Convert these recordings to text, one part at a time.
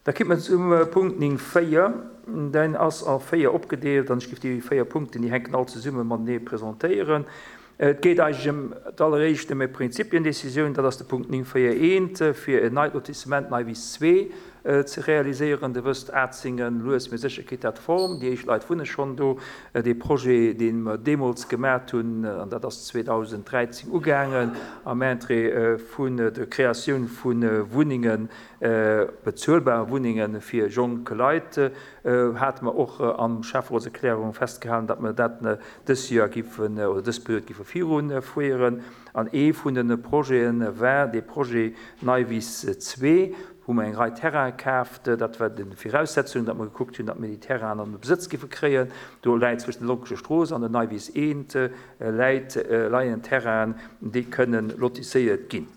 Da kimme mer zum Punkt 9, 4. Deen ass a 4 opgedeelt an ech géif déi 4 Punkten, déi hänken all zesumme matenee, presentéieren. Et geet eigentlech ëm d'alleréischt ëm e Prinzipiendécisioun, dat ass de Punkt 9, 4, 1, fir en neit Lotissement Neiwiss 2 ze realiséieren. Der wësst, Atzingen, lues mee sécher kritt dat Form. Déi éischt Leit wunne schonn do. Dee Projet, dee mer deemools gemat hunn, an dat ass 2013 ugaangen, am Interêt vun der Kreatioun vu Wunnengen, bezuelbare Wunnenge fir jonk Leit, hate mer och am Schäfferotserklärung festgehalen, datt mer dat dës Joer giffen oder dës Period giffe virufueren. An ee vun de Projete war dee Projet Neiwiss 2, wou mer eng Rei Terraine kaaft. Dat war déi Viraussetzung, datt mer gekuckt hunn, datt mir déi Terrainen an de Besëtz giffe kréien. Do läit zwëschen der Lonkescher Strooss an der Neiwiss 1 läit, leien Terrainen, déi kënnen lotisséiert ginn.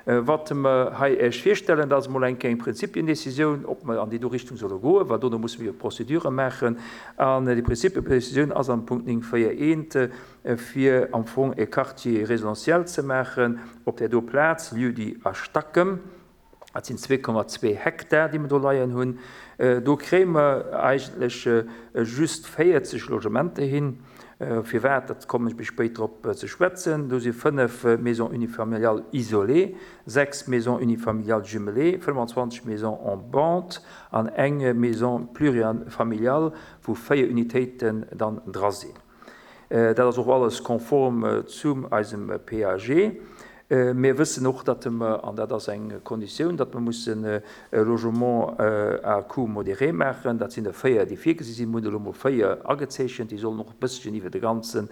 Wat mer hei Iech virstellen, dat ass emol eng kleng Prinzipiendécisioun, ob mer an déi do Richtung solle goen, well dono musse mir jo d'Procédure maachen. An déi Prinzipiendécisioun ass am Punkt 9, 4, 1, fir am Fong e Quartier résidentiel ze maachen op där do Plaz, Lieu-dit A Stackem. Dat sinn 2,2 Hektar, déi mer do leien hunn. Do kréie mer eigentlech just 40 Logementer hin. Firwat, dat kommen ech méi spéit drop ze schwätzen. Do si 5 Maisons unifamiliales isolées, 6 Maisons unifamiliales jumelées, 25 Maisons en bande an eng Maison plurifamiliale, wou 4 Unitéiten dann dra sinn. Dat ass och alles konform zu eisem PAG. Mir wëssen och, datt mer, an dat ass eng Konditioun, datt mer mussen e Logement à coût modéré maachen. Dat sinn der 4, déi virgesi sinn. Mir hunn elo mol 4 agezeechent. Déi sollen och e bësschen iwwer de ganzen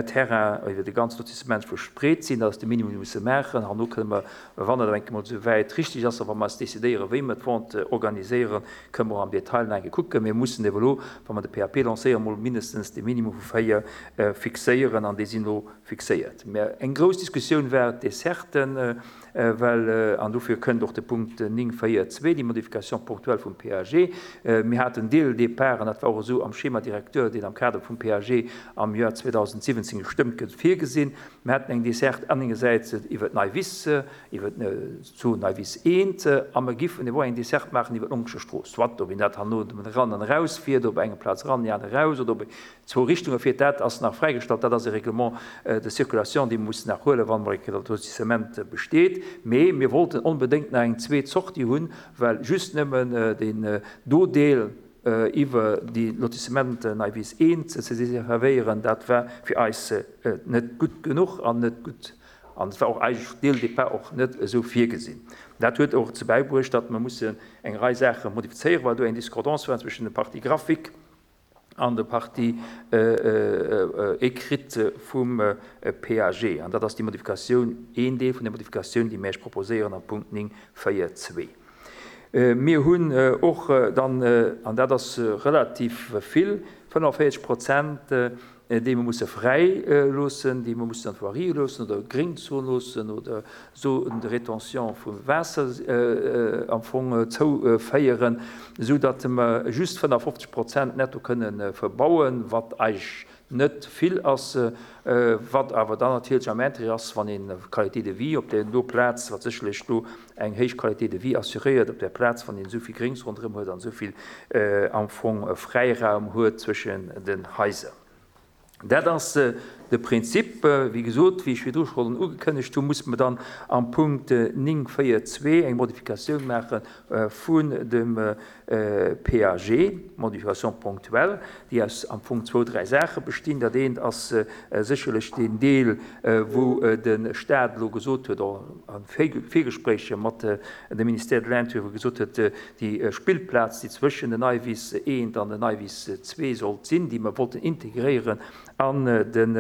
Terrain, iwwer de ganze Lotissement verspreet sinn. Dat ass de Minimum, dee mer musse maachen. Herno kënne mer, wann et eng Kéier mol esou wäit richtig ass a wa mer eis decidéieren, wéi mer d'Vente organiséieren, kënne mer och am Detail nach eng Kéier kucken. Mir mussen ebe elo, wa mer de PAP lancéieren, mol mindestens de Minimum vu 4 fixéieren an déi sinn elo fixéiert. Mä eng grouss Diskussioun war d'Desserten, well, an dofir kënnt och de Punkt 9, 4, 2, déi Modification ponctuelle vum PAG. Mir haten dès le départ, an dat war och esou am Schéma directeur, deen am Kader vum PAG am Joer 2017 gestëmmt gëtt, virgesinn, mir haten eng Desserte engersäits iwwer d'Nei Wiss, iwwer d'Zon Nei Wiss I, a mer giffen ewell eng Desserte maachen iwwer d'Lonkescher Strooss, soit ob een dat herno eran an erausfiert, op enger Plaz eran, déi aner eraus, oder ob ee Zwou Richtunge fiert, dat ass nach fräigestallt. Dat ass e Règlement de circulation, dee mer mussen nach huelen, wann emol eng Kéier dat Lotissement besteet. Mee mir wollten onbedéngt nach eng zweet Sortie hunn, well just nëmmen deen do Deel iwwer déi Lotissement Neiwiss I ze deservéieren, dat war fir eis net gutt genuch an net gutt an et war och eigentlech dès le départ och net esou virgesinn. Dat huet och dozou bäibruecht, datt mer mussen eng Rei Saache modifizéieren, well do eng Discordance war zwëschen der Partie graphique an der Partie écrite vum PAG. An dat ass déi Modifikatioun, een Deel vun der Modifikatioun, déi mir Iech proposéieren am Punkt 9, 4, 2. Mir hunn och dann, an dat ass relativ vill, 45 Prozent déi mer musse fräi loossen, déi mer mussen an d'Voirie loossen oder Gréngzon loossen oder Zone de rétention vu Waasser am Fong zouféieren, esou datt mer just 55 Prozent netto kënne verbauen, wat eigentlech net vill ass, wat awer dann natierlech am Intérêt ass, wann een Qualité de vie op där do Plaz, wat sécherlech do eng héich Qualité de vie assuréiert op där Plaz, wann een esou vill Gréngs ronderëm huet an esou vill am Fong Fräiraum huet zwëschen den Haiser. Dat ass de Prinzip. Wéi gesot, wéi ech virdru schonn ugekënnegt hunn, musse mer dann am Punkt 9, 4, 2 eng Modifikatioun maache vun dem PAG, Modification ponctuelle, déi aus am Fong zwou, dräi Saache bestinn. Dat eent ass sécherlech deen Deel, wou de Stat elo gesot huet, och a Virgespréicher mat dem Ministère de l'Intérieur, wou gesot huet, déi Spillplaz, déi zwëschen den Neiwiss I an den Neiwiss ii sollt sinn, déi mer wollten integréieren an den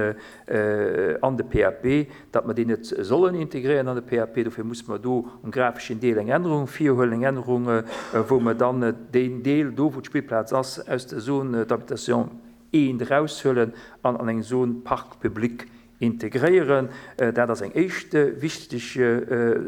an de PAP, datt mer déi net sollen integréieren an de PAP. Dofir musse mer do um grafeschen Deel eng Ännerung virhuelen, eng Ännerung, wou mer dann deen Deel do, wou d'Spillplaz ass, aus der Zone d'habitation I eraushuelen an an eng Zone parc public integréieren. Dat ass eng éischt wichteg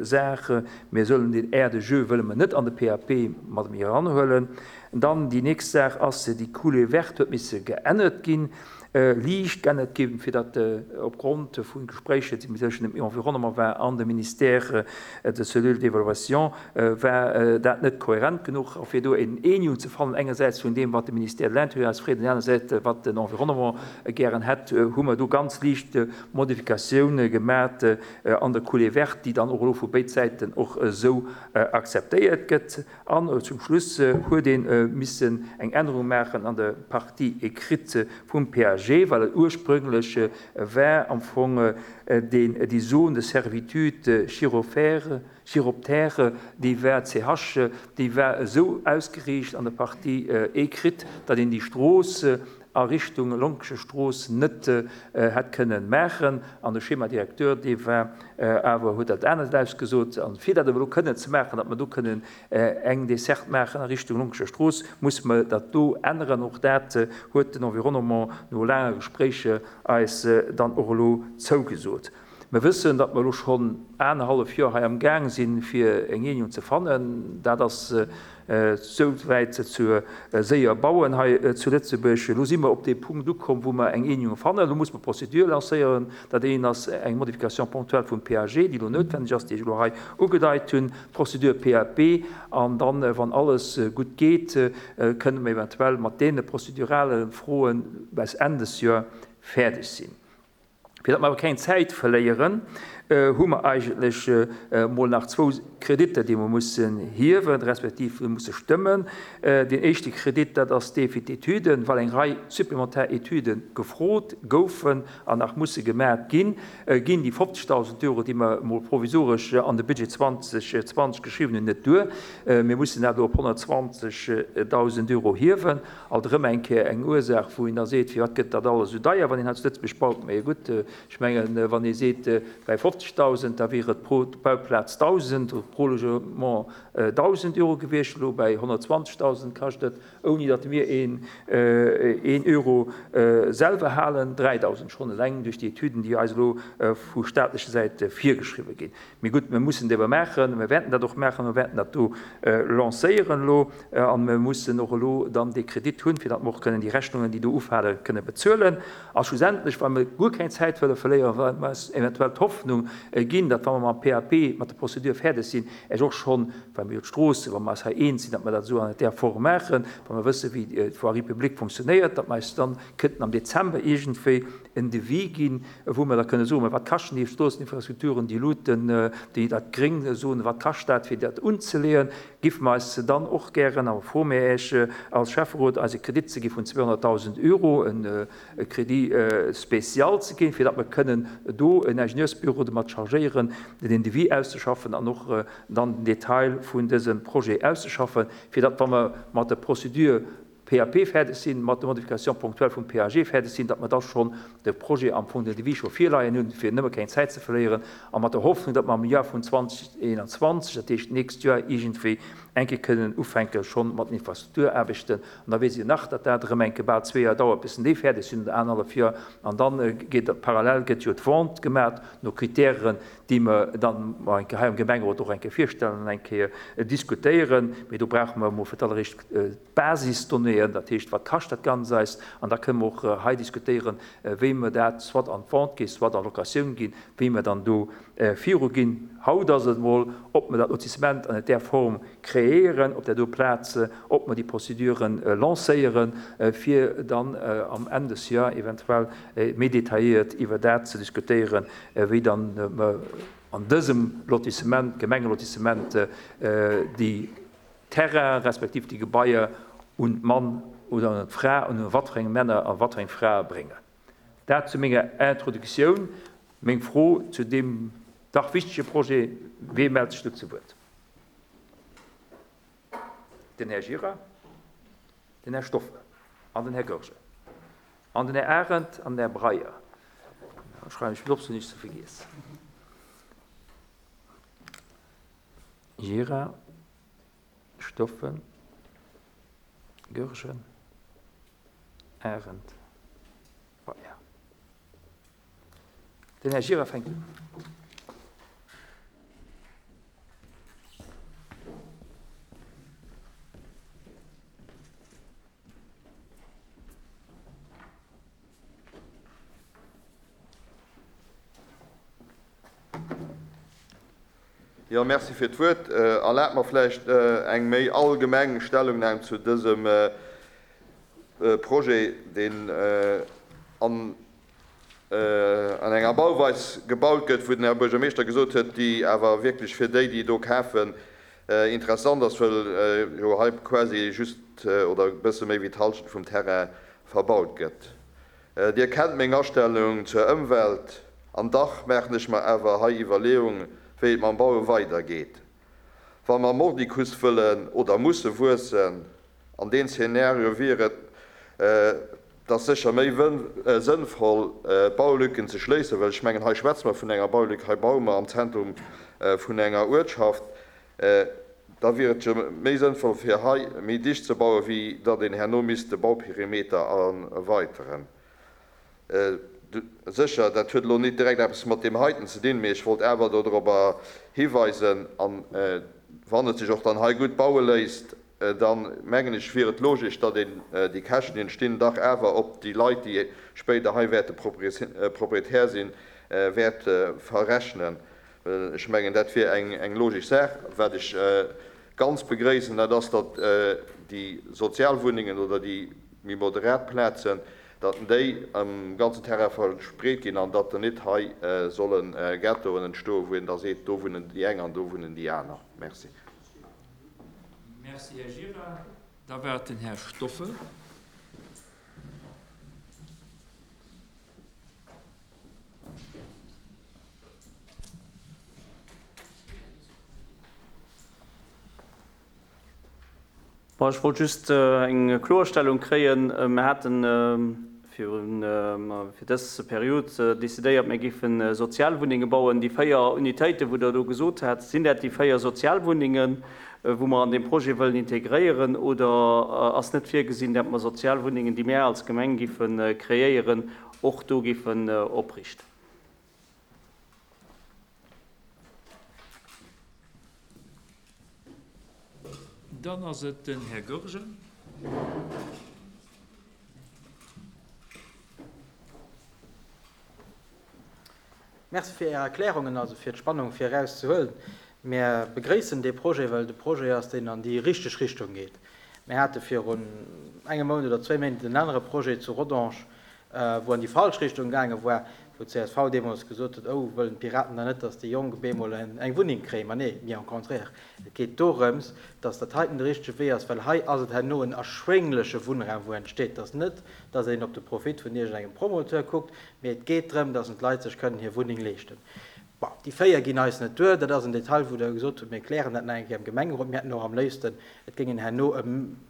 Saach. Mir sollen deen Aire de jeu wëlle mer net an de PAP mat eranhuelen. Dann déi nächst Saach ass, déi Coulée verte huet misse geännert ginn. Liicht geännert ginn, fir datt opgrond vu Gespréicher, déi tëschent dem Environnement war an dem Ministère, der Cellule d'évaluation, war dat net kohärent genuch. A fir do en Eenegung ze fannen, engersäits vun deem, wat de Ministère de l'Intérieur eis freet, an anersäits wat den Environnement gären hätt, hu mer do ganz liicht Modifikatioune gemat an der Coulée verte, déi dann och elo vu béid Säiten och esou akzeptéiert gëtt. An zum Schluss huet ee missen eng Ännerung maachen an der Partie écrite vum PAG, well et ursprünglech war am Fong deen, déi Zone de servitude chirophère, chiroptère, déi war CH, déi war esou ausgeriicht an der Partie écrite, datt een déi Strooss a Richtung Lonkescher Strooss net hätt kënnen maachen. An de Schéma directeur, dee war awer, huet dat anescht ausgesot. An fir dat awer elo kënnen ze maachen, datt mer do kënnen eng Desserte maachen a Richtung Lonkescher Strooss, musse mer dat do änneren. Och dat huet den Environnement no laange Gespréiche eis dann och elo zougesot. Mer wëssen, datt mer elo schonn anerhallef Joer hei am Gaang sinn, fir eng Eenegung ze fannen. Dat ass souwäit zu séier bauen hei zu Lëtzebuerg. Elo si mer op dee Punkt ukomm, wou mer eng Eenegung fannen. Elo muss mer d'Prozedur lancéieren. Dat eent ass eng Modification ponctuelle vum PAG, déi elo noutwenneg ass, déi ech elo hei ugedeit hunn, d'Procédure PAP. An dann, wann alles gutt geet, kënne mer eventuell mat deene prozedurale Froe bis Enn des Joer fäerdeg sinn. Fir datt mer awer keng Zäit verléieren, hu mer eigentlech emol nach zwou Kreditter, déi mer mussen hiewen, respektiv musse stëmmen. Deen éischte Kredit, dat ass dee fir d'Etüden, well eng Rei supplementar Etüde gefrot goufen an nach musse gemaat ginn, ginn déi 50.000 Euro, déi mer emol provisoresch an de Budget 2020 geschriwwen hunn, net duer. Mir mussen dat elo op 120.000 Euro hiewen. Alt erëm eng Kéier eng Ursaach, wou een da seet, firwat gëtt dat alles esou deier, wann een hei zu Lëtzebuerg baut. Mä gutt, ech mengen, wann ee seet, bei 50.000, da wier et pro Bauplaz 1.000 oder pro Logement 1.000 Euro gewiescht. Elo bei 120.000 kascht et, ouni datt mir een Euro selwer halen, 3.000, schonn eleng duerch déi Etüden, déi eis elo vu staatlecher Säit virgeschriwwe ginn. Mee gutt, mir mussen et ewer maachen, mir wäerten dat och maachen, mir wäerten dat do lancéieren elo a mir mussen och elo dann dee Kredit hunn, fir datt mer och kënnen déi Rechnungen, déi do ufalen, kënne bezuelen. A schlussendlech, well mir guer keng Zäit wëlle verléieren, well mer eis eventuell d'Hoffnung ginn, datt wa mer mam PAP, mat der Procédure fäerdeg sinn, Esch och schonn, well mir jo d'Stroosse, wa mer eis hei eens sinn, datt mer dat esou an där Form maachen, wa mer wësse wéi d'Voirie publique fonctionnéiert, datt mer eis dann kënnten am Dezember iergendwéi en Devis ginn, wou mer da kënne soen, mä wat kaschten déi Stroosseninfrastrukturen, déi Luuten, déi dat Gréng soen, wat kascht dat, fir dat unzeleeën, giffe mer eis dann och gären, a froe mir Iech als Schäfferot, eis e Kredit ze gi vun 200.000 Euro, e Crédit spécial ze ginn, fir datt mer kënnen do en Ingenieursbüro domat chargéieren, den Devis auszeschaffen an och dann den Detail vun dësem Projet auszeschaffen, fir datt, wa mer mat der Procédure PAP fäerdeg sinn, mat de Modifications ponctuelles vum PAG fäerdeg sinn, datt mer da schonn de Projet am Fong, den Devis scho virleien hunn, fir nëmme keng Zäit ze verléieren, a mat der Hoffnung, datt mer am Joer vun 2021, dat heescht d'nächst Joer, iergendwéi eng Kéier kënnen ufänke schonn mat den Infrastrukturaarbechten. An da weess een nach, datt dat erëm eng Kéier bal zwee Joer dauert, bis en déi fäerdeg sinn, oder anerhallef Joer. An da geet parallel gëtt jo d'Vente gemaat no Kritären, déi mer dann mar eng Kéier hei am Gemengerot och eng Kéier virstellen an eng Kéier diskutéieren. Mee do brauche mer emol fir d'alleréischt d'Basisdonnéeën, dat heescht, wat kascht dat Ganz eis? An da kënnen mer och hei diskutéieren, wéi mer dat soit an d'Vente ginn, soit an Locatioun ginn, wéi mer dann do viruginn. Haut ass et emol, ob mer dat Lotissement an där Form kreéieren op där do Plaz, ob mer déi Prozeduren lancéieren, fir dann am Enn des Joer eventuell méi detailléiert iwwer dat ze diskutéieren, wéi dann mer an dësem Lotissement, Gemengelotissement, déi Terrainen respektiv déi Gebaier un d'Mann oder un d'Fra, un wat fir eng Männer a wat fir eng Frae bréngen. Dat zu menger Introductioun. Meng Fro zu deem dach wichtege Projet, Wee mellt sech do zu Wuert? Den Här Gira, den Här Stoffel an den Här Goergen an den Här Arendt an den Här Breyer. Da schreiwen ech mir op, fir näischt ze vergiessen. Gira, Stoffel, Goergen, Arendt, Breyer. Den Här Gira fänkt un. Jo, merci fir d'Wuert. Erlaabt mer vläicht eng méi allgemeng Stellungnam zu dësem Projet, deen an enger Bauweis gebaut gëtt, wou den Här Buergermeeschter gesot huet, déi awer wierklech fir déi, déi do kafen, interessant ass, well jo hei quasi just oder e bësse méi wéi d'Hallschent vum Terrain verbaut gëtt. Dir kennt meng Astellung zur Ëmwelt, an dach maachen ech mer awer hei Iwwerleeung, wéi et mam Baue weider geet. Wa mer mordicus wëllen oder musse wuessen, an deen Szenario wier et da sécher méi sënnvoll, d'Baulücken ze schléissen, well ech mengen, hei schwätze mer vun enger Baulück, hei baue mer am Zentrum vun enger Uertschaft. Da wier et jo méi sënnvoll fir hei méi dicht ze bauen, wéi datt een herno misst de Bauperimeter erweiteren. Sécher, dat huet elo nit direkt eppes mat deem heiten ze dinn, mee ech wollt awer dodrobber hiweisen. An wann et sech och dann hei gutt baue léisst, da mengen ech wier et logesch, datt een déi Käschten, déi entstinn, dach awer op déi Leit, déi spéider hei wäerte Proprietär sinn, wäert verrechnen. Well ech mengen, dat wier eng logesch Saach. Wat ech ganz begréissen, dat ass, datt déi Sozialwunnengen oder déi méi moderat Plazen, datt déi um ganzen Terrain verspreet ginn an datt net hei solle Ghettoen entstoen, wou een da seet, do wunnen déi eng an do wunnen déi aner. Merci. Merci, Här Gira. Da war et den Här Stoffel. Bon, ech wollt just eng Kloerstellung kréien. Mir hate fir dës Period decidéiert, mir géife Sozialwunnenge bauen. Déi 4 Unitéiten, wou Der elo gesot hat, sinn dat déi 4 Sozialwunnengen, wou mer an deem Projet wëllen integréieren, oder ass net virgesinn, dat mer Sozialwunnengen, déi mär als Gemeng géife kreéieren, och do géifen opriichten? Dann ass et den Här Goergen. Merci fir Är Erklärungen, also fir d'Spannung fir eraus ze huelen. Mär begréissen dee Projet, well et e Projet ass, deen an déi richteg Richtung geet. Mär hate virun engem Mount oder zwéi Méint en anere Projet zu Rodange, wou an déi falsch Richtung gaange war, wou d'CSV deemools gesot huet, Oh, wëllen d'Piraten dann net, datt déi Jonk op eemol eng Wunneng kréien? Ma nee, bien au contraire, et geet dorëms, datt dat heiten de richtege Wee ass, well hei ass et herno en erschwéngleche Wunnraum, wou entsteet. Et ass net, datt een op de Profit vun iergendengem Promoteur kuckt, mee et geet drëm, datt d'Leit sech kënnen hir Wunneng leeschten. Bon, déi 4 ginn eis net duer. Dat ass en Detail, wou Der gesot hutt, mir klären dat nach eng Kéier am Gemengerot. Mir hätten och am léifsten, et géingen herno e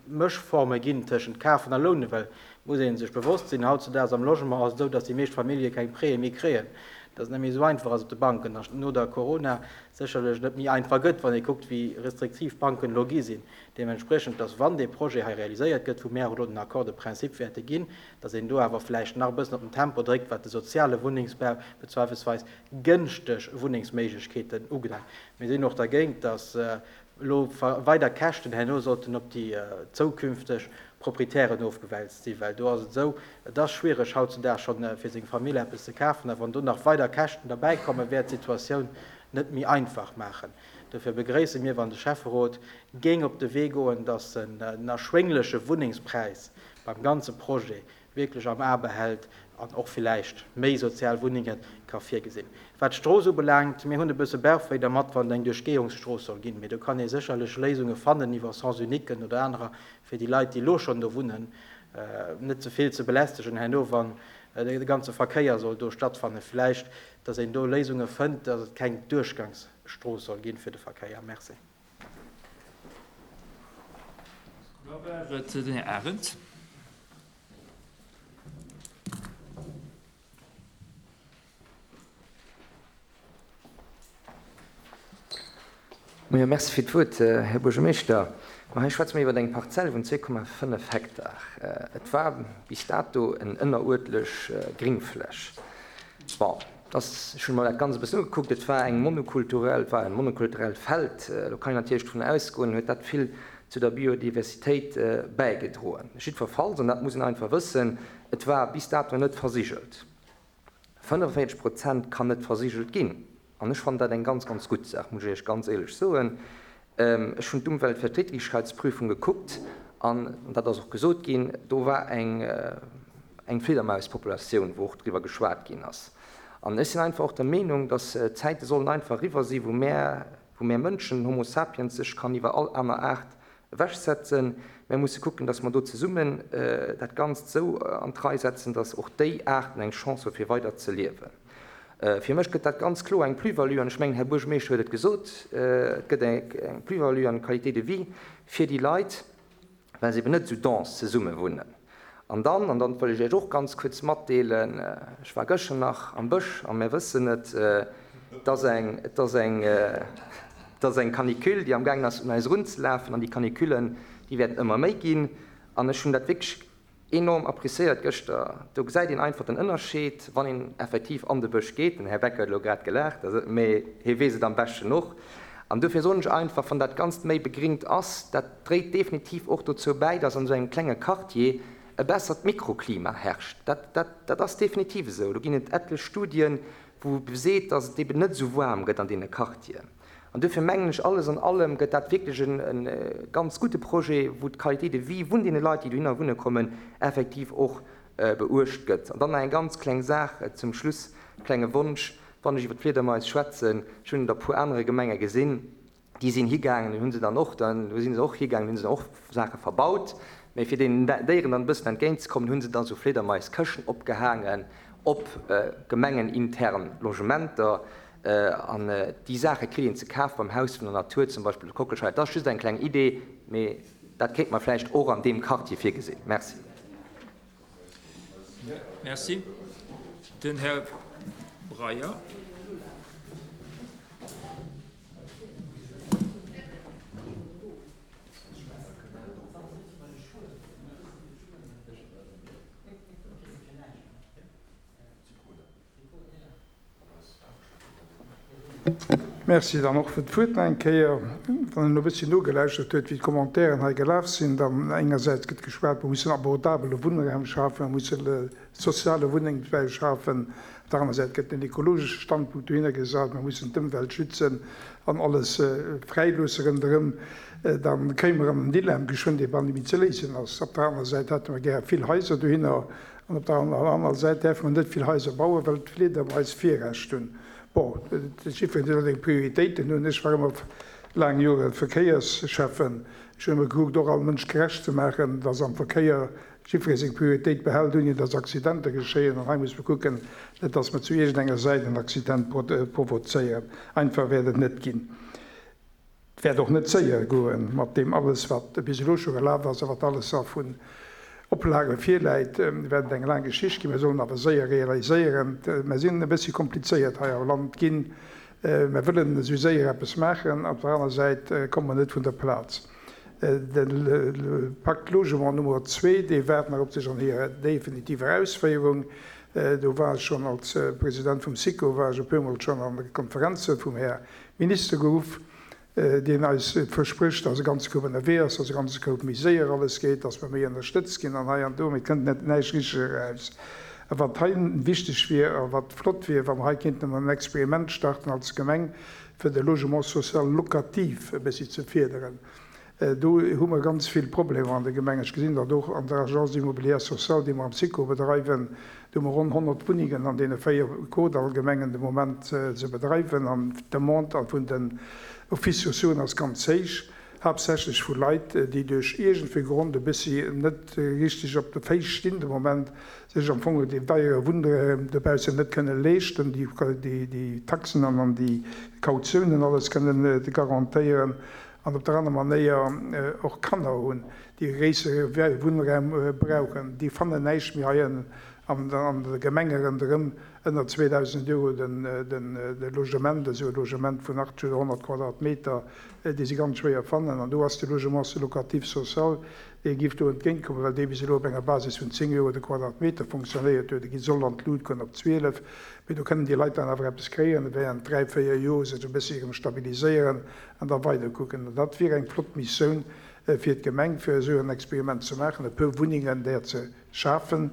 Mëschforme ginn tëschent Kafen a Lounen, well et muss ee sech bewosst sinn, hautzudaags am Logement ass et esou, datt déi meescht Famillje keng Prêtë méi kréien, datt et net méi esou einfach ass op de Banken a no der Corona sécherlech net méi einfach gëtt, wann ee kuckt, wéi restriktiv d'Banken elo gi sinn. Deementspriechend, datt wann dee Projet hei realiséiert gëtt, wou mär och elo den Accord de principe wäerte ginn, datt een do awer vläicht nach e bëssen op den Tempo dréckt, wat de soziale Wunnengsbau bezweifelsweis gënschteg Wunnengsméiglechkeeten ubelaangt. Mir sinn och dergéint, datt elo weider Käschten herno sollten op déi zoukünfteg Proprietären ofgewälzt sinn, well do ass et esou, et ass schwiereg hautzudags schonn fir seng Famill eppes ze kafen, a wann do nach weider Käschten derbäikommen, wäert d'Situatioun net méi einfach maachen. Dofir begréisse mir, wann de Schäfferot géing op de Wee goen, datt en den erschwéngleche Wunnengspräis beim ganze Projet wierklech am A behält an och villäicht méi sozial Wunnenge ka virgesinn. Wat d'Strooss ubelaangt, mir hunn e bësse Bauchwéi dermat, wann et eng Duerchgehungsstrooss soll ginn, mee do kann ee sécherlech Léisunge fannen iwwer Sens-uniquen oder anerer, fir déi Leit, déi elo schonn do wunnen, net ze vill ze belästegen herno, wann de ganze Verkéier soll do stattfannen. Villäicht, dass een do Léisunge fënnt, dass et keng Duerchgangsstrooss soll ginn fir de Verkéier. Merci. Da war et den Här Arendt. Moien, Merci fir d'Wuert, Här Buergermeeschter. Ma hei schwätze mer iwwer eng Parzell vun 2,5 Hektar. Et war bis dato en ënneruertlech Gringfläch. Bon, dass, ech hunn mer dat Ganzt e bëssen ugekuckt, et war eng monokulturell, et war e monokulturellt Feld. Elo kann een natierlech dovun ausgoen, huet dat vill zu der Biodiversitéit bäigedroen. Jiddwerfalls, an dat muss een einfach wëssen, et war bis dato net versigelt. 45 Prozent kann net versigelt ginn. An ech fannen dat eng ganz, ganz gutt Saach, muss ech Iech ganz éierlech soen. Ech hunn d'Umweltverträglichkeitsprüfung gekuckt an, dat ass och gesot ginn, do war eng, eng Fliedermauspopulatioun, wou och driwwer geschwat ginn ass. An ech sinn einfach och der Meenung, dass d'Zäite sollen einfach eriwwer sinn, wou mär, wou mär Mënschen, Homo sapiens, sech kann iwwer all aner Aart ewechsetzen. Mär musse kucken, dass mer do zesummen dat Ganzt esou an d'Rei setzen, dass och déi Aarten eng Chance hu fir weider ze liewen. Fir mech gëtt dat ganz kloer eng Plus-value, an ech mengen, Här Buergermeeschter huet et gesot, et gëtt eng Plus-value an Qualité de vie fir déi Leit, well se eben net esou dense zesumme wunnen. An dann, an dat wëll ech Iech och ganz kuerz matdeelen, ech war gëschter nach am Bësch a mir wëssen et, et ass eng, et ass eng, et ass eng Canicule, déi amgaangen ass un eis erunzelafen an déi Canicullen, déi wäerten ëmmer méi ginn. An ech hunn dat wierklech enorm appréciéiert gëschter. Do gesäit een einfach den Ënnerscheed, wann een effektiv an de Bësch geet. Den Här Becker huet elo grad gelaacht, mee hie weess et am beschten och. An dofir soen ech einfach, wann dat Ganzt méi begringt ass, dat dréit definitiv och dozou bäi, dass an esou engem klenge Quartier e bessert Mikroklima herrscht. Dat, dat, dat ass definitiv esou. Do ginn et etlech Studien, wou beseet, dass et eben net esou waarm gëtt an deene Quartieren. An duerfir mengen ech, alles an allem gëtt dat wierklech e ganz gudde Projet, wou d'Qualité de vie vun deene Leit, déi dohinner wunne kommen, effektiv och beuecht gëtt. An dann nach eng ganz kleng Saach zum Schluss, e klenge Wonsch, Wann ech iwwer d'Fliedermais schwätzen, ech hunn et a puer anere Gemenge gesinn, déi sinn higaangen, hunn se dann och, do si se och higaangen, hunn se dann och Saache verbaut, mä fir deenen Déieren dann e bëssen entgéintzekommen, hu se da sou Fliedermaiskëschten opgehaangen op gemengenintern Logementer. An déi Saache kritt een ze kaf beim Haus vun der Natur, zum Beispill op Kockelscheier. Dat ass just eng kleng Idee, mee dat kéint mer vläicht och an deem Quartier virgesinn. Merci. Merci. Den Här Breyer. Merci dann och fir d'Wuert nach eng Kéier. Wann een elo e bësschen nogelauschtert huet, wéi d'Commentairen hei gelaf sinn, dann engersäits gëtt geschwat, mer mussen abordabele Wunnraum schafen, mer mussen soziale Wunnengsbau schafen, op der aner Säit gëtt den ekologesche Standpunkt dohinner gesat, mer mussen d'Ëmwelt schützen an alles fräiloosse ronderëm, da kéime mer an en Dilemma geschwënn, dee bal net méi ze léisen ass. Op der aner Säit hätte mer gär vill Haiser dohinner, An op der anerer Säit däerfe mer net vill Haiser bauen, well d'Fliedermais Virrecht hunn. Bon, jiddwereen huet seng Prioritéiten hunn. Ech war ëmmer laang Jore Verkéiersschäffen. Ech hunn ëmmer gekuckt, och all Mënsch gerecht ze maachen, dass am Verkéier jiddweree seng Prioritéit behält, ouni dass Accidenter geschéien. An hei muss mer kucken, net dass mer zu iergendenger Säit en Accident provozéieren. Einfach wäert et net ginn. Et wäert och net séier goen mat deem alles, wat bis elo scho gelaf ass a wat alles a vun Oplage virläit, wäert et eng laang Geschicht ginn. Mir sollen awer séier realiséieren. Mer sinn e bëssi komplizéiert hei am Land ginn. Mer wëllen esou séier eppes maachen, op der aner Säit komme mer net vun der Plaz. De Pacte Logement Nummer zwee, dee waart nach op sech an hirer definitiver Ausféierung. Do war ech schonn als President vum SICO war ech e puermol schonn an de Konferenze vum Här Minister geruff, deen eis versprécht, dass e ganze Koup ënnerwee ass, dass e ganze Koup méi séier alles geet, dass mer méi ënnerstëtzt ginn an hei an do, mee et kënnt net näischt richteg eraus. A wat hei wichteg wier a wat flott wier, wa mer hei kéinten emol en Experiment starten als Gemeng, fir de Logement social locatif e bëssi ze férderen. Do hu mer ganz vill Problemer an de Gemengen. Ech gesinn dat och an der Agence immobilière sociale, déi mer am SICO bedreiwen. Do hu mer ronn 100 Wunnengen an deene 4 Kordall-Gemengen de Moment ze bedreiwen. An d'Demande vun den Offices sociauxen ass ganz héich, haaptsächlech vu Leit, déi duerch iergendwéi Grond e bëssi net richteg op de Féiss stinn de Moment, sech am Fong deen deiere Wunnraum dobaussen net kënne leeschten, déi Taxen an déi Kautiounen alles kënnen garantéieren. an op der aner Manéier och Kanner hunn, déi e gréissere Wunnraum brauchen, déi fannen näischt méi hei an de Gemenge ronderëm ënner 2.000 Euro de Logement, esou e Logement vun 80 oder 100 Quadratmeter, dee si ganz schwéier fannen. An do ass de Logement locatif social, dee géif do entgéintkommen, well dee bis elo op enger Basis vun 10 Euro de Quadratmeter fonctionnéiert huet. E soll an d'Lut goen op 12, mee do kënnen déi Leit dann awer eppes kréien, während dräi, véier Joer sech e bëssi erëm stabiliséieren an da weider kucken. An dat wier eng flott Missoun fir d'Gemeng, fir esou en Experiment ze maachen, e puer Wunnengen där ze schafen,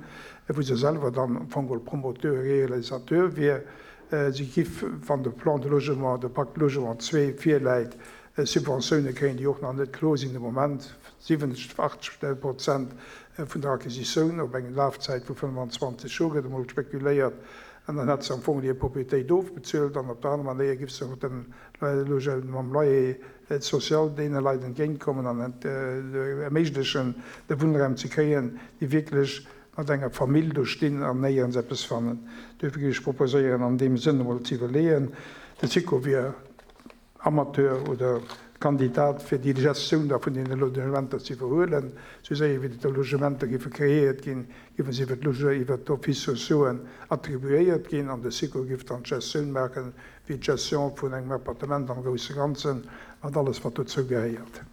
wou se selwer dann am Fong geholl Promoteur, Réalisateur wier. Si giff, wann de Plan de logement, de Pacte logement 2 virläit, Subventioune kréien, déi och nach net kloer sinn de Moment, 70, 80 Prozent vun der Acquisitioun op eng Lafzäit vu 25 Joer gëtt emol spekuléiert. An dann hätt se am Fong hir Propriétéit ofbezuelt an op der aner Manéier giff se och dem mam Loyer social deene Leit entgéintkommen an erméiglechen, de Wunnraum ze kréien, déi wierklech mat enger Famill do stinn an néierens eppes fannen. Duerfir géif ech proposéieren, an deem Sënn emol ze iwwerleeën, de SICO wier Amateur oder Kandidat fir déi Gestioun da vun deene Logementer ze iwwerhuelen. Esou séier wéi déi Logementer géife kreéiert ginn, géife se iwwer d'Loge, iwwer d'Offices sociauxen attribuéiert ginn an de SICO géif dann d'Gestioun maachen, wéi d'Gestion vun engem Appartement am grousse Ganzen, mat alles wat dozou gehéiert.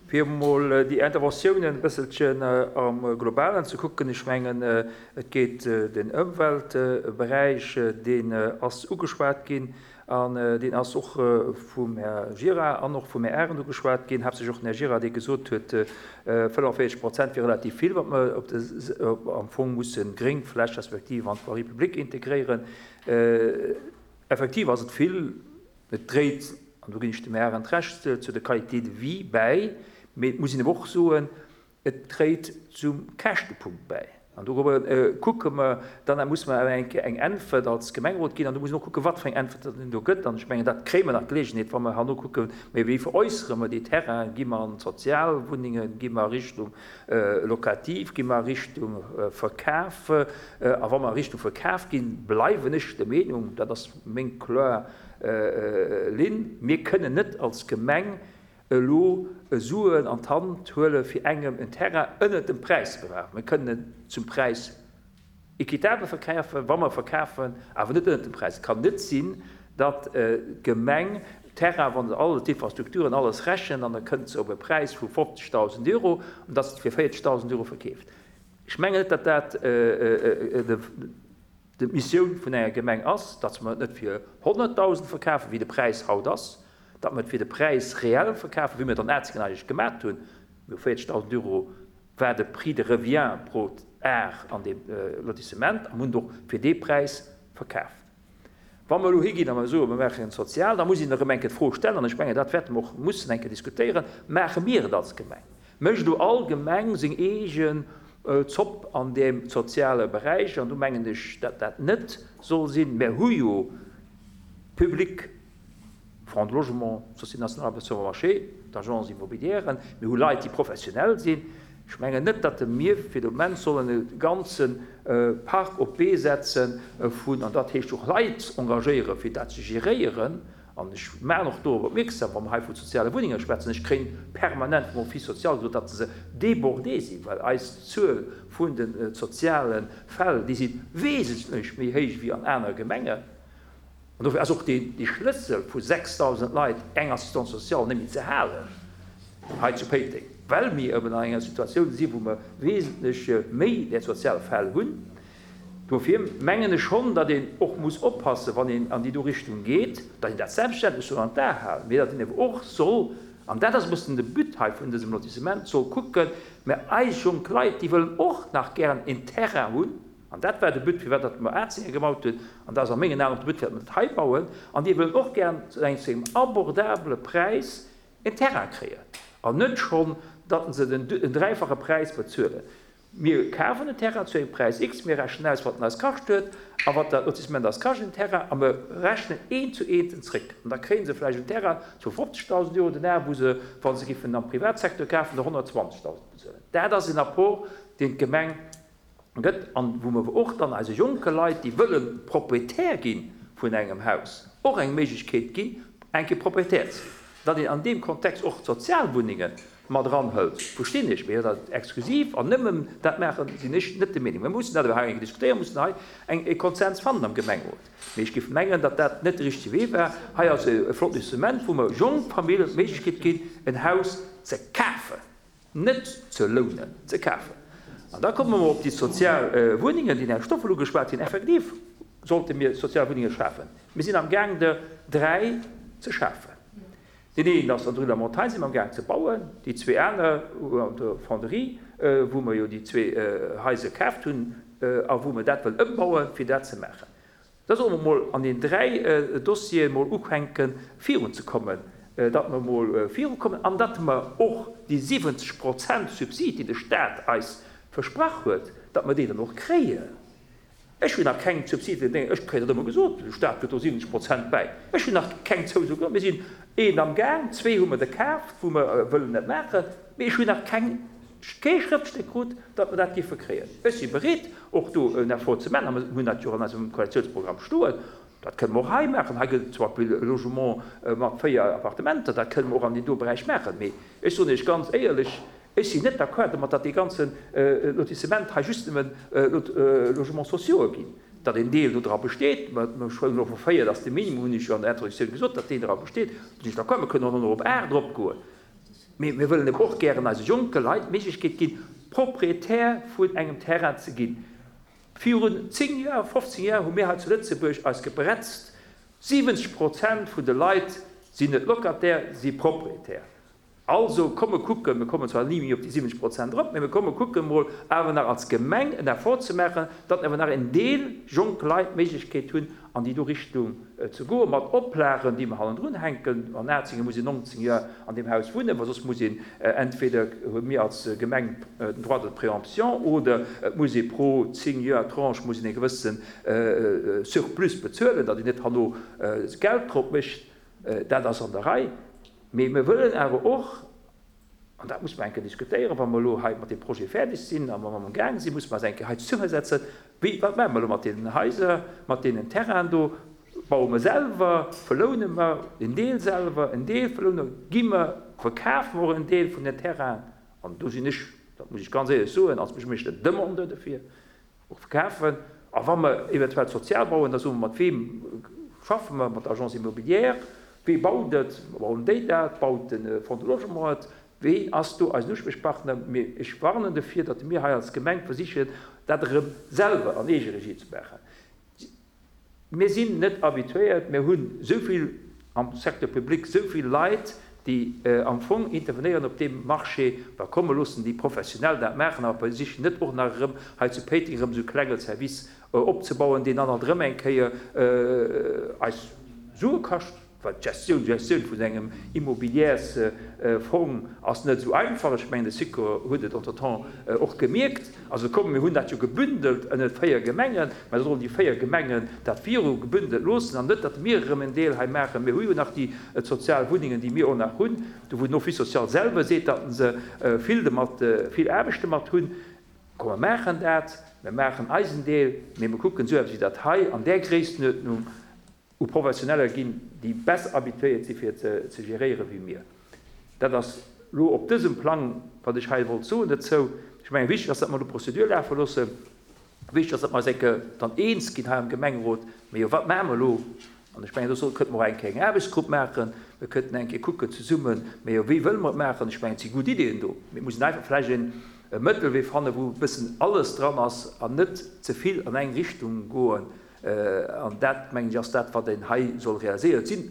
Fir emol déi Interventiounen e bësselchen am Globalen ze kucken, ech mengen, et geet den Ëmweltberäich, deen ass ugeschwat ginn an deen ass och vum Här Gira an och vum Här Arendt ugeschwat ginn, haaptsächlech och den Här Gira, dee gesot huet, 45 Prozent wier relativ vill, wat mer op de, am Fong musse Gréngfläch respektiv an d'Voirie publique integréieren. Effektiv ass et vill. Et dréit, an do ginn ech dem Här Arendt Recht, zu der Qualité de vie bäi, mee et muss een awer och soen, et dréit zum Käschtepunkt bäi. An dorobber kucke mer dann, da muss mer awer eng Kéier eng Äntwert als Gemengerot ginn an do muss een och kucken, wat fir eng Äntwert datt een do gëtt. An ech mengen, dat kréie mer nach d'Geleegenheet, wa mer herno kucken, mä wéi veräussere mer déi Terrainen, gi mer an d'Sozialwunnengen, gi mer a Richtung Locatif, gi mer a Richtung Verkaf? A wa mer a Richtung Verkaf ginn, bleiwen ech der Meenung, dat ass meng kloer Linn, mir kënnen net als Gemeng elo Suen an d'Hand huele fir engem en Terrain ënnert dem Präis ze verkafen. Mir kënnen en zum Präis équitable verkafen, wa mer verkafen, awer net ënnert dem Präis. Et kann net sinn, datt d'Gemeng Terrain, wa se all d'Infrastrukturen, alles rechent, an da kënnt se op e Präis vu 50.000 Euro, an datt se et fir 40.000 Euro verkeeft. Ech mengen net, datt dat D'Missioun vun enger Gemeng ass, datt mer et net fir 100.000 verkafen, wéi de Präis haut ass, datt mer et fir de Präis réel verkafen, wéi mer et an Atzingen eigentlech gemat hunn. Mir hu 40.000 Euro war de Prix de revient pro Ar an deem Lotissement a mir hunn et och fir dee Präis verkaaft. Wa mer elo higinn a mer soen, mer maachen sozial, da muss een erëm eng Kéier d'Fro stellen, an ech mengen, dat wäerte mer och mussen eng Kéier diskutéieren, Maache mir et als Gemeng? Mécht elo all Gemeng seng eegen Zopp an deem soziale Beräich? An do mengen ech, datt dat net soll sinn. Mer hu jo public Fonds de logement, Société nationale d'habitation bon marché, d'Agences immobilièren, mir hu Leit, déi professionell sinn. Ech mengen net, datt mir fir de Moment sollen e ganze Park op d'Bee setze vun, an dat heescht och Leit engagéieren, fir dat ze geréieren. An ech maachen och dorop opmierksam, wa mer hei vu soziale Wunnenge schwätzen, ech kréien permanent vum Office social gesot, datt se débordé sinn, well eis Zuel vun de soziale Fäll, déi si wesentlech méi héich wéi an anere Gemengen. An dofir ass och dee Schlëssel vu 6.000 Leit eng Assistance sociale net méi ze halen hei zu Péiteng, well mir eben an enger Situatioun sinn, wou mer wesentlech méi där sozial Fäll hunn. Dofir mengen ech schonn, datt een och muss oppassen, wann een an déi do Richtung geet, datt een dat selbstverständlech soll an d'A halen, mee datt een ewer och soll, an dat ass e bëssen de But hei vun dësem Lotissement, soll kucken, mä eis jonk Leit, déi wëllen och nach gären en Terrain hunn, an dat war de But, firwat datt mer Atzinger gebaut hunn, an dat ass a mengen Aen och de But, firwat mer dat hei bauen, an déi wëllen och gären zu engem abordabele Präis en Terrain kréien, an net schonn, datt se den dräifache Präis bezuelen. Mir kafen en Terrain zu engem Präis X, mir rechnen aus, wat en eis kascht huet a wat dat Lotissement eis kascht, en Terrain, a mir rechnen eent zu eent en zréck. An da kréie se vläicht en Terrain zu 50.000 Euro den Ar, wou se, wa se giffen am Privatsecteur kafen, der 120.000 bezuelen. Dat ass en Apport, deen d'Gemeng gëtt an wou mer och dann eise jonke Leit, déi wëlle Proprietär gi vun engem Haus, och eng Méiglechkeet ginn, eng Kéier Proprietär ze ginn. Datt een an deem Kontext och d'Sozialwunnenge mat eranhëlt, verstinn ech, mee dat exklusiv an nëmmen dat maachen, sinn ech net der Meenung. Mir mussen dat awer hei eng Kéier diskutéieren, mussen hei eng e Konsens fannen am Gemengerot. Mee ech géif mengen, datt dat net de richtege Wee war. Hei ass e flott Instrument, wou mer jonk Familljen d'Méiglechkeet ginn, en Haus ze kafen, net ze lounen, ze kafen. An da komme mer op déi sozial Wunnengen, déi den Här Stoffel ugeschwat hunn. Effektiv sollte mir sozial Wunnenge schafen. Mir sinn am Gaang der 3 ze schafen. Deen een ass an der Rue de la Montagne, si mer am Gaang ze bauen. Déi zwee aner an der Fonderie, wou mer jo déi zwee Haiser kaaft hunn a wou mer dat wëllen ëmbauen, fir dat ze maachen. Da solle mer mol an den 3 Dossiere mol ufänken virunzekommen, datt mer mol virukommen an datt mer och déi 70 Prozent Subsid, déi de Stat eis versprach huet, datt mer déi dann och kréien. Ech hunn nach keng Subsiden, ech kréien dat ëmmer gesot, de Staat gëtt do 70 Prozent bäi. Ech hunn nach keng Zouso geholl. Mir sinn een am Gaang, zwee hu mer der kaaft, wou mer wëllen dat maachen, mee ech hunn nach keng, kee Schrëftstéck krut, datt mer dat géife kréien. Ech si bereet, och do en Effort ze maachen, a mer hunn dat jo och an eisem Koalitiounsprogramm stoen, dat kënne mer och hei maachen. Hei gëtt et zum Beispill e Logement mat véier Appartementer, dat kënne mer och an deem do Beräich maachen. Mee ech soen Iech ganz éierlech, Ech sinn net d'accord domat, datt dee ganze Lotissement hei just nëmmen Logements sociaux'e ginn. Datt een Deel do dra besteet, mä ech huelen elo vu 4, dat ass de Minimum, hunn ech jo an der Introduktioun gesot, datt deen dra besteet, do sinn ech d'accord. Mir kënnen och nach op 8 eropgoen, mee mir wëllen eben och gären eise jonke Leit d'Méiglechkeet ginn, Propriétaire vun engem Terrain ze ginn. Virun 10 Joer, 15 Joer hu mir hei zu Lëtzebuerg eis gebretzt, 70 Prozent vun de Leit sinn net Locataire, si Propriétaire. Also, komm mer kucken, mir kommen zwar ni méi op déi 70 Prozent erop, mä mir komme kucken emol awer nach als Gemeng en Effort ze maachen, datt awer nach en Deel jonk Leit d'Méiglechkeet hunn, an déi do Richtung ze goen, mat Oplagen, déi mer hannendrun hänken. An Azinge muss een 19 Joer an deem Haus wunnen, well soss muss een, entweder hu mir als Gemeng den Droit de préemption oder et muss ee pro 10 Joer Tranche muss een e gewësse Surplus bezuelen, datt een net herno Geld drop mécht. Dat ass an der Rei. Mee mir wëllen awer och, an dat muss mer eng Kéier diskutéieren, wa mer elo hei mat deem Projet fäerdeg sinn a wa mer amgaang sinn, muss mer eis eng Kéier hei zesummesetzen, wéi, wat maache mer elo mat deenen Haiser, mat deenen Terrainen do? Baue mer selwer, verloune mer en Deel selwer, en Deel verloune mer, gi mer, verkafe mer och en Deel vun den Terrainen? An do sinn ech, dat muss ech ganz éierlech soen, als Buergermeeschter Demandeur dofir, Och verkafen. A wa mer eventuell sozial bauen, da soe mer, mat weem schaffe mer, mat der Agence immobilière, wee baut et, bauen déi dat, baut de Fonds de Logement et, ween ass do eisen Usprichpartner? Mee ech warnen dofir, datt mir hei als Gemeng versichen, dat erëm selwer an Eegeregie ze maachen. Mir sinn net habituéiert, mir hunn esou vill am Secteur public, esou vill Leit, déi am Fong intervenéieren op deem Marché, da komme loossen déi Professionell dat maachen, awer versichen net och nach erëm hei zu Péiteng erëm esou e klenge Service opzebauen, deen dann alt erëm eng Kéier eis Sue kascht. Well d'Gestioun, d'Gestioun vun engem Immobilièrsfong ass net esou einfach. Ech mengen, de Sikor huet et entretemps och gemierkt. Also komm, mir hunn dat jo gebündelt ënnert 4 Gemengen, mä da sollen déi 4 Gemengen dat viru gebündelt loossen an net, datt mir erëm en Deel hei maachen. Mir hu jo nach déi sozial Wunnengen, déi mir och nach hunn, do wou den Office social selwer seet, datt se vill domat, vill Aarbecht domat hunn. Komm, mer maachen dat, mir maachen eisen Deel, mee mir kucken esou eppes wéi dat hei an där Gréisstenuerdnung u Professioneller ginn, déi besser habituéiert si fir et ze geréiere wéi mir. Dat ass elo op dësem Plang, wat ech hei wollt soen dozou. Ech mengen, wichteg ass, datt mer elo d'Prozedur lafe loossen. Wichteg ass, datt mer eis eng Kéier dann eens ginn hei am Gemengerot, Mee jo, wat maache mer elo? An ech mengen, do soll, kënnte mer och eng Kéier eng Aarbechtsgrupp maachen. Mir kënnten eng Kéier kucken zesummen, Mee jo, wéi wëlle mer et maachen? Ech mengen, et si gutt Ideeën do. Mee et muss een einfach vläicht e Mëttelwee fannen, wou e bëssen alles dran ass an net ze vill an eng Richtung goen. An dat, mengen ech, ass dat, wat een hei soll realiséieren. Et sinn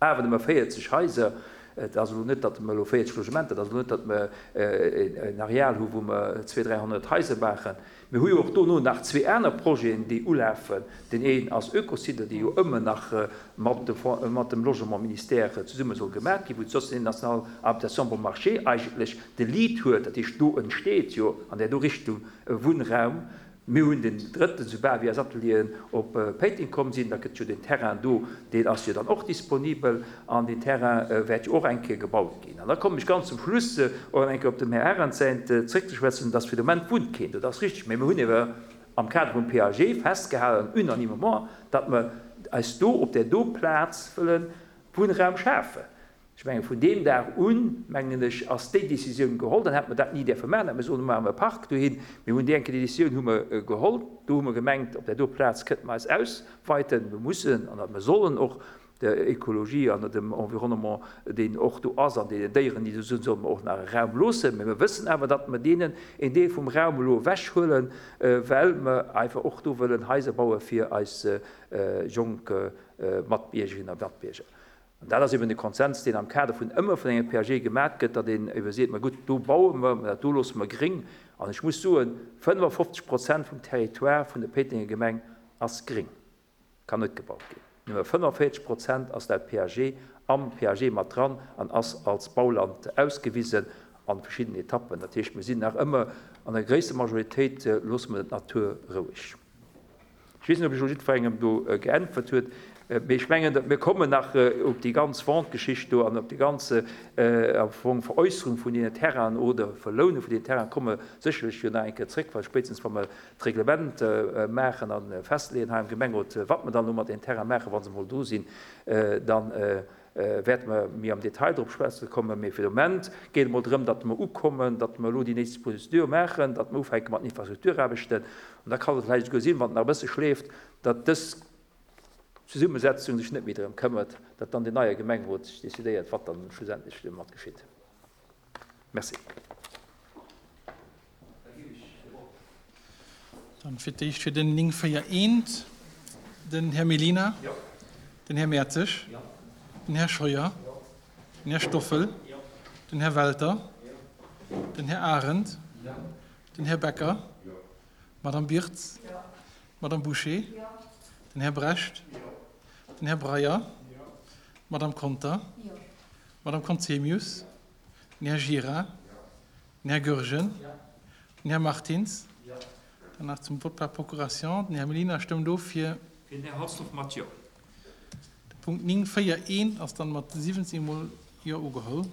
awer nëmme 40 Haiser. Et ass elo net, datt mer elo 40 Logementer, et ass elo net, datt mer en Areal hu wou mer 200, 300 Haiser maachen. Mir hu jo och dono nach zwee aner Projeten, déi ulafen. Deen een ass Oekocide, dee jo ëmmer nach mat dem Logementministère zesumme soll gemaach ginn, wou d'Société nationale habitation bon marché eigentlech de Lead huet. Dat heescht, do entsteet jo an där do Richtung e Wunnraum. Mir hunn den drëtten, soubal wéi eis Atelieren op Péiteng komm sinn, da gëtt jo den Terrain do, deen ass jo dann och disponibel an deen Terrain wäert jo och eng Kéier gebaut ginn. An da kommen ech ganz zum Schluss och nach eng Kéier op dem Här Arendt säint zréckzeschwätzen, dass fir de Moment wunnt keen do. Dat ass richtig, mä mir hunn ewer am Kader vum PAG festgehalen, unanimement, datt mer eis do op där do Plaz wëlle Wunnraum schafen. Ech mengen, vun deem Dag un, mengen ech, ass déi Décisioun geholl. Dann hätte mer dat ni däerfe maachen, hätte mer soen, maache mer e Park dohin. Mir hunn déi enke Décisioun hu mer geholl. Do hu mer gemengt, op där do Plaz kënnte mer eis ausweiten. Mir mussen an mer sollen och. Der Ökologie an dem Environnement, deen och do ass, an deenen Déieren, déi do sinn, solle mer och nach e Raum loossen. Mä mir wëssen awer, datt mer deenen een Deel vum Raum elo ewechhuelen, well mer einfach och do wëllen Haiser baue fir eis jonk Matbiergerinnen a Matbierger. An dat ass eben de Konsens, deen am Kader vun ëmmer vun engem PAG gemat gëtt, datt een ebe seet, Ma gutt, do baue mer, mä dat do loosse mer gréng. An ech muss soen, 55 Prozent vum Territoire vun der Péitenger Gemeng ass gréng. Kann net gebaut ginn. Nëmme 45 Prozent ass laut PAG am PAG mat dran an ass als Bauland ausgewisen an verschiddenen Etappen. Dat heescht, mir sinn nach ëmmer an der gréisster Majoritéit loosse mer d'Natur roueg. Ech weess net, ob ech elo jiddwerengem do geäntwert huet, mee ech mengen, mir kommen nach op déi ganz Vente-Geschicht do an op déi ganz am Fong Veräusserung vun deenen Terrainen oder Verloune vun deenen Terrainen komme sécherlech jo nach eng Kéier zréck, well spéitstens wa mer d'Reglement maachen a festleeën hei am Gemengerot, wat mer dann elo mat deenen Terraine maachen, wa se emol do sinn, da wäerte mer méi am Detail drop schwätze kommen. Mee fir de Moment geet et emol drëm, datt mer ukommen, datt mer elo déi nächst Procédure maachen, datt mer ufänke mat den Infrastrukturaarbechten. An da kann et vläicht esouguer sinn, wann et nach e bësse schleeft, datt dës Zesummesetzung sech net méi drëm këmmert, datt dann deen neie Gemengerot sech decidéiert, wat dann schlussendlech domat geschitt. Merci. Dann fir d'éischt fir den 941 den Här Mellina, den Här Mertzig, den Här Scheuer, den Här Stoffel, den Här Welter, den Här Arendt, den Här Becker, d'Madame Birtz, d'Madame Bouché, den Här Brecht, den Här Breyer, d'Madame Conter, d'Madame Conzemius, den Här Gira, den Här Goergen, den Här Martins. Dann nach zum Vote par procuration. Den Här Mellina stëmmt of fir. Fir den Här Halsdorf mat Jo. De Punkt 9, 4, 1 ass dann mat 17 mol Jo ugeholl.